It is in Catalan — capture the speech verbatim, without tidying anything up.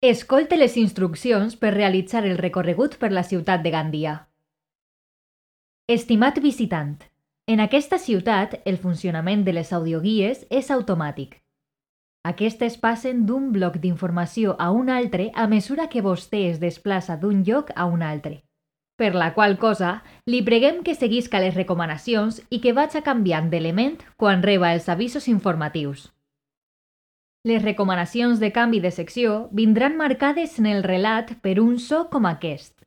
Escolte les instruccions per realitzar el recorregut per la ciutat de Gandia. Estimat visitant, en aquesta ciutat el funcionament de les audioguies és automàtic. Aquestes passen d'un bloc d'informació a un altre a mesura que vostè es desplaça d'un lloc a un altre. Per la qual cosa, li preguem que seguisca les recomanacions i que vaig canviant d'element quan reba els avisos informatius. Les recomanacions de canvi de secció vindran marcades en el relat per un so com aquest.